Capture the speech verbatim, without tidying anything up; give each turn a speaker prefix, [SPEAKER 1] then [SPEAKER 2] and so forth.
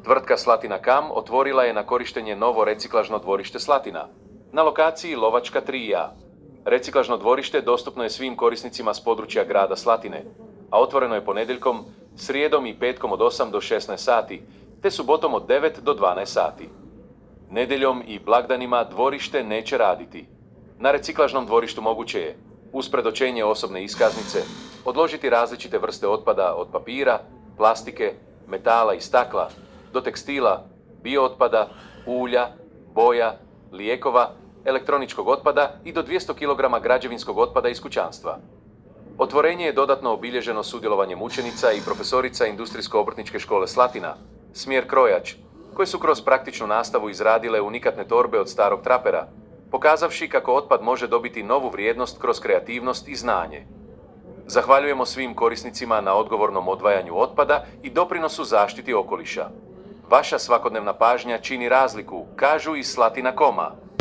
[SPEAKER 1] Tvrtka Slatina Kam otvorila je na korištenje novo reciklažno dvorište Slatina. Na lokaciji Lovačka tri A. Reciklažno dvorište dostupno je svim korisnicima s područja grada Slatine, a otvoreno je ponedjeljkom, srijedom i petkom od osam do šesnaest sati, te subotom od devet do dvanaest sati. Nedjeljom i blagdanima dvorište neće raditi. Na reciklažnom dvorištu moguće je, uz predočenje osobne iskaznice, odložiti različite vrste otpada od papira, plastike, metala i stakla, do tekstila, biootpada, ulja, boja, lijekova, elektroničkog otpada i do dvjesto kilograma građevinskog otpada iz kućanstva. Otvorenje je dodatno obilježeno sudjelovanjem učenica i profesorica Industrijsko-obrtničke škole Slatina, smjer krojač, koje su kroz praktičnu nastavu izradile unikatne torbe od starog trapera, pokazavši kako otpad može dobiti novu vrijednost kroz kreativnost i znanje. Zahvaljujemo svim korisnicima na odgovornom odvajanju otpada i doprinosu zaštiti okoliša. Vaša svakodnevna pažnja čini razliku, kažu iz Slatina Koma.